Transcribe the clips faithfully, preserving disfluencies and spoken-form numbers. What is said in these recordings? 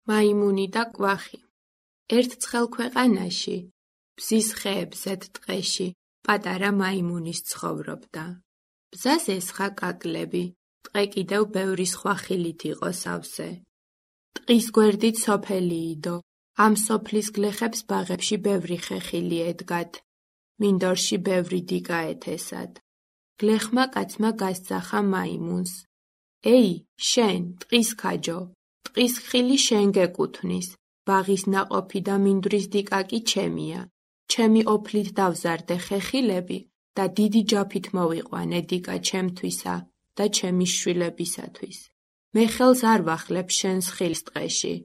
მაიმუნი და კვახი. ერთ ცხელ ქვეყანაში, ბზის ხეებზეთ ტყეში, პატარა მაიმუნის ცხოვრობდა. ბზას ესხა კაკლები, ტყე კიდევ ბევრი სხვა ხილით იყო სავსე. ტყის გვერდით სოფელი იდო, ამ სოფლის გლეხებს ბაღებში ბევრი ხეხილი ედგათ. მინდორში ბევრი დიკა ეთესად. გლეხმა კაცმა გასძახა მაიმუნს. ეი, შენ, ტყის ქაჯო, ტყის ხილი შენ გეკუთვნის, ბაღის ნაყოფი და მინდვრის დიკა კი ჩემია. ჩემი ოფლით დავზარდე ხეხილები და დიდი ჯაფით მოვიყვანე დიკა ჩემთვისა და ჩემი შვილებისათვის. მე ხელს არ ვახლებ შენს ხილს ტყეში.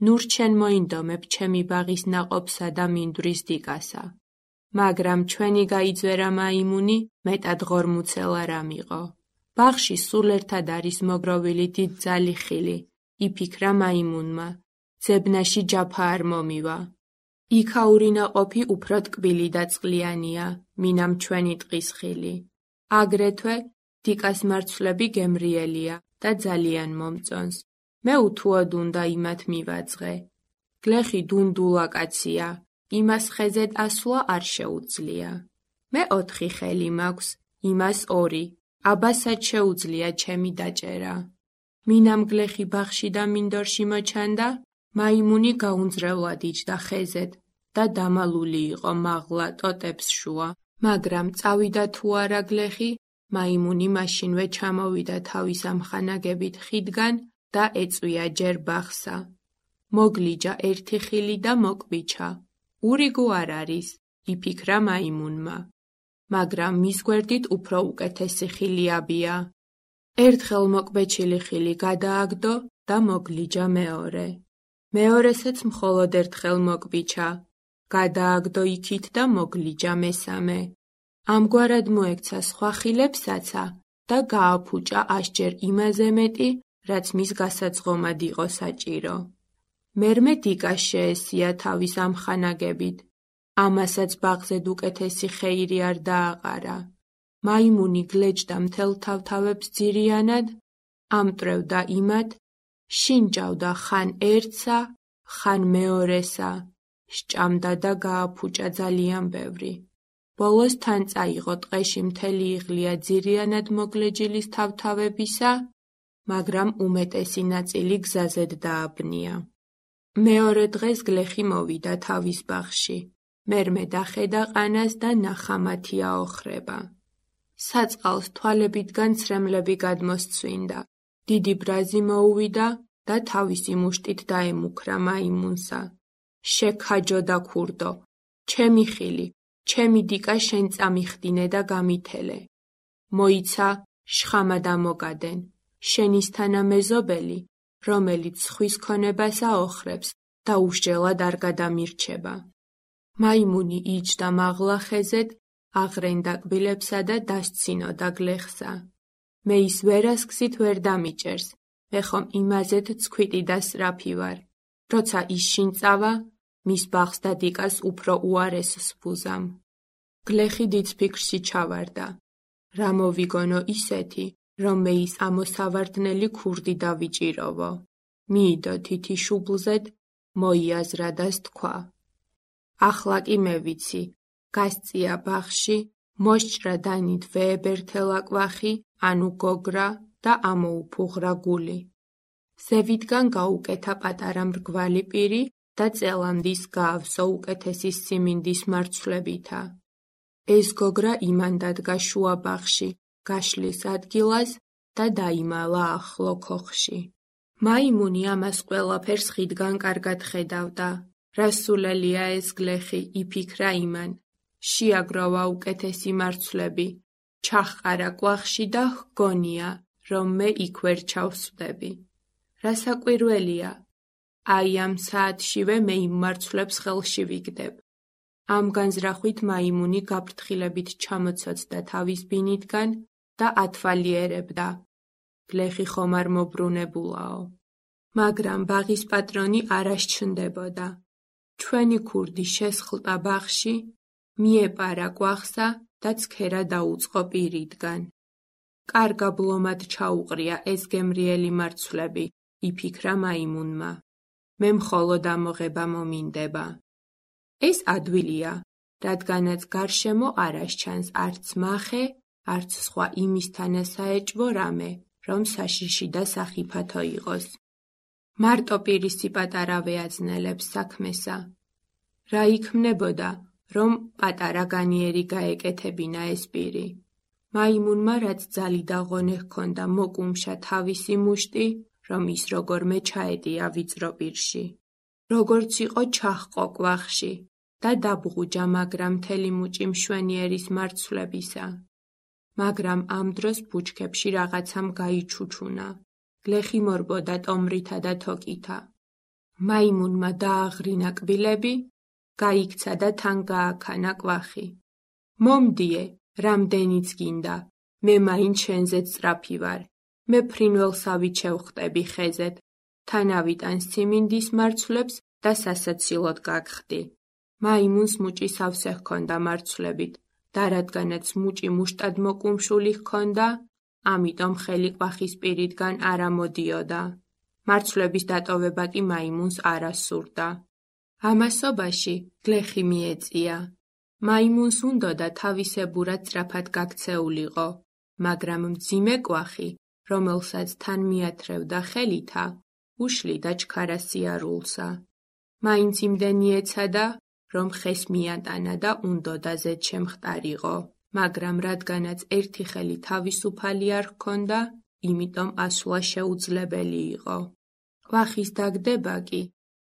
ნურ ჩვენ მოინდომებ ჩემი ბაღის ნაყოფსა და მინდვრის დიკასა. მაგრამ ჩვენი გაიძვერა მაიმუნი მეტად ღორმუცელ არ ამიყო. ბაღში სულ ერთად არის მოგროვილი დიდძალი ხილი, იფიქრა მაიმუნმა. ძებნაში ჯაფა არ მომივა. იქაური ნაყოფი უფრო ტკბილი და წყლიანია, მინამ ჩვენი ტყის ხილი. აგრეთვე დიკას მარცვლები გემრიელია და ძალიან მომწონს. მე უთუოდ უნდა იმათ მივაძღე. გლეხი დუნდულა კაცია, იმას ხეზედ ასვლა არ შეუძლია. მე ოთხი ხელი მაქვს, იმას ორი, აბასაც შეუძლია ჩემი დაჭერა. მინამ გლეხი ბაღში და მინდორში მოჩანდა, მაიმუნი გაუნძრევლად იჯდა ხეზედ და დამალული იყო მაღლა ტოტებს შუა. მაგრამ წავიდა თუ არა გლეხი, მაიმუნი მაშინვე ჩამოვიდა თავის ამხანაგებით ხიდგან და ეწვია ჯერ ბაღსა. მოგლიჯა ერთი ხილი და მოკვიჩა. ურიგო არ არის, იფიქრა მაიმუნმა. მაგრამ მის გვერდით უფრო უკეთესი ხილი აბია. ერთხელ მოკბეჩილი ხილი გადააგდო და მოგლიჯა მეორე. მეორესაც მხოლოდ ერთხელ მოკვიჩა. გადააგდო იქით და მოგლიჯა მესამე. ამგვარად მოექცა სხვა ხილებსაცა და გააფუჭა ასჯერ იმაზე მეტი, რაც მის გასაძღომად იყო საჭირო. მერმე დიკას შეესია თავის ამხანაგებით. ამასაც ბაღზედ უკეთესი ხეირი არ დააყარა. მაიმუნი გლეჯდა მთელ თავთავებს ძირიანად, ამტვრევდა იმათ, შინჯავდა ხან ერთსა, ხან მეორესა, სჭამდა და გააფუჭა ძალიან ბევრი. ბოლოს თან წაიღო ტყეში მთელი იღლია ძირიანად მოგლეჯილის თავთავებისა, მაგრამ უმეტესი ნაწილი გზაზედ დააბნია. მეორე დღეს გლეხი მოვიდა თავის ბაღში. მერმე დახედა ყანას და ნახა მათი აოხრება. საწყალს თვალებიდან ცრემლები გადმოსცვინდა. დიდი ბრაზი მოუვიდა და თავისი მუშტით დაემუქრა მაიმუნსა. შექაჯო და ქურდო, ჩემი ხილი, ჩემი დიკა შენ წამიხდინე და გამითელე. მოიცა, შხამა დამოგადენ, შენისთანა მეზობელი, რომელიც ხვის ქონებას აოხრებს და უსჯელად არ გადამირჩება. მაიმუნი იჯდა მაღლა ხეზედ, აღრენდა კბილებსა და დასცინოდა გლეხსა. მე ის ვერასკსით ვერ დამიჭერს, მე ხომ იმაზეთ ცქვიტი და სწრაფი ვარ. როცა ის შინ წავა, მის ბაღს და დიკას უფრო უარესს ვუზამ. გლეხი დიდ ფიქრში ჩავარდა. რა მოვიგონო ისეთი, რომ მე ის ამოსავარდნელი ქურდი დავიჭიროვო. მიიდო თითი შუბლზედ, მოიაზრა და სთქვა. ახლა კი მე ვიცი, გასწია ბაღში, მოსჭრა დანით ვეებერთელა კვახი, ანუ გოგრა და ამოუფუღრა გული. ზევითგან გაუკეთა პატარა მრგვალი პირი და წელამდის გაავსო უკეთესი სიმინდის მარცვლებითა. ეს გოგრა იმან დადგა შუა ბაღში, გაშლის ადგილას და დაიმალა ახლო ქოხში. მაიმუნი ამას ყველაფერს ხიდგან კარგად ხედავდა. რასულელია ეს გლეხი, იფიქრა იმან. შეაგროვა უკეთესი მარცვლები, ჩაჰყარა კვახში და ჰგონია, რომ მე იქ ვერ ჩავსვდები. რასაკვირველია, აი ამ საათშივე მე იმ მარცვლებს ხელში ვიგდებ. ამ განზრახვით მაიმუნი გაფრთხილებით ჩამოცოცდა თავის ბინიდგან და ათვალიერებდა. გლეხი ხომ არ მობრუნებულაო. მაგრამ ბაღის პატრონი არ ასჩნდებოდა. ჩვენი ქურდი შესხლტა ბაღში, მიეპარა კვახსა და ცქერა დაუწყო პირიდგან. კარგა ბლომად ჩაუყრია ეს გემრიელი მარცვლები, იფიქრა მაიმუნმა. მე მხოლოდ ამოღება მომინდება. ეს ადვილია, რადგანაც გარშემო არ ასჩანს არც მახე, არც სხვა იმისთანა საეჭვო რამე, რომ საშიში და სახიფათო იყოს. მარტო პირისი პატარავე აძნელებს საქმესა. რა იქმნებოდა, რომ პატარა განიერი გაეკეთებინა ეს პირი. მაიმუნმა რაც ძალი და ღონე ჰქონდა მოკუმშა თავისი მუშტი, რომ ის როგორმე ჩაედია ვიწრო პირში. როგორც იყო ჩაჰყო კვახში და დაბღუჯა, მაგრამ მთელი მუჭი მშვენიერის მარცვლებისა. მაგრამ ამ დროს ბუჩქებში რაღაცამ გაიჩუჩუნა. გლეხი მორბოდა ტომრითა და თოკითა. მაიმუნმა დააღრინა კბილები, გაიქცა და თან გააქანა კვახი. მომდიე, რამდენიც გინდა, მე მაინ შენზეც სწრაფი ვარ. მე ფრინველსავით შევხტები ხეზეთ, თან ავიტან სიმინდის მარცვლებს და სასაცილოდ გაგხდი. მაიმუნს მუჭი სავსე ჰქონდა მარცვლებით და რადგანაც მუჭი მუშტად მოკუმშული ჰქონდა, ამიტომ ხელი კვახის პირიდან არ ამოდიოდა. მარცვლების დატოვება კი მაიმუნს არ ასურდა. ამასობაში გლეხი მიეწია. მაიმუნს უნდოდა თავისებურად სწრაფად გაქცეულიყო, მაგრამ მძიმე კვახი, რომელსაც თან მიათრევდა ხელითა, უშლიდა ჩქარასიარულსა. მაინც იმდენი ეცადა, რომ ხეს მიატანა და უნდოდა ზედ შემხტარიყო, მაგრამ რადგანაც ერთი ხელი თავისუფალი არ ჰქონდა, იმიტომ ასვლა შეუძლებელი იყო. კვახის დაგდება კი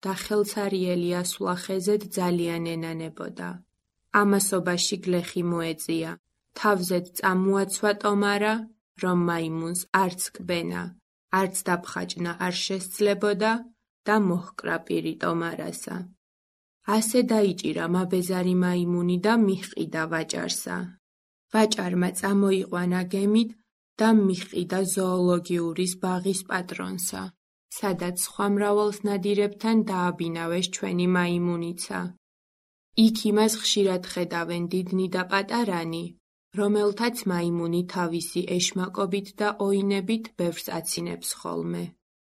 და ხელცარიელი ასვლა ხეზეთ ძალიან ენანებოდა. ამასობაში გლეხი მოეწია, თავზედ წამოაცვა ტომარა, რომ მაიმუნს არც კბენა, არც დაფხაჭნა არ შესძლებოდა და მოჰკრა პირი ტომარასა. ასე დაიჭირა მაბეზარი მაიმუნი და მიჰყიდა ვაჭარსა. ვაჭარმა წამოიყვანა გემით და მიჰყიდა ზოოლოგიურის ბაღის პატრონსა, სადაც სხვა მრავალს ნადირებთან დააბინავეს ჩვენი მაიმუნიცა. იქ იმას ხშირად ხედავენ დიდნი და პატარანი, რომელთაც მაიმუნი თავისი ეშმაკობით და ოინებით ბევრს აცინებს ხოლმე.